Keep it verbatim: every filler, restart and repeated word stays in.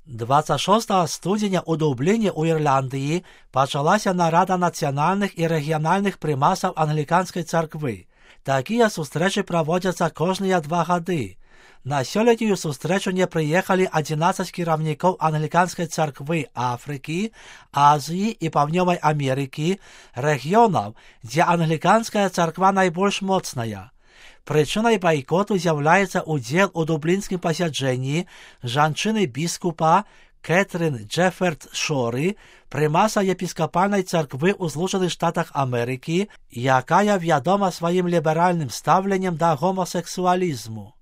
двадцять шостого студеня у Дубліні у Ірландії почалася нарада національних і регіональних примасів Англіканської церкви. Такі зустрічі проводяться кожні два роки. На сьогоднішню зустрічу не приїхали одинадцять керівників Англіканської церкви Африки, Азії і Південної Америки, регіонів, де Англіканська церква найбільш моцна. Причиной бойкоту з'являється уділ у Дублінському посідженні жінки-біскупа Кетрін Джеферд Шори, примаса єпископальної церкви у Злучених Штатах Америки, яка відома своїм ліберальним ставленням до гомосексуалізму.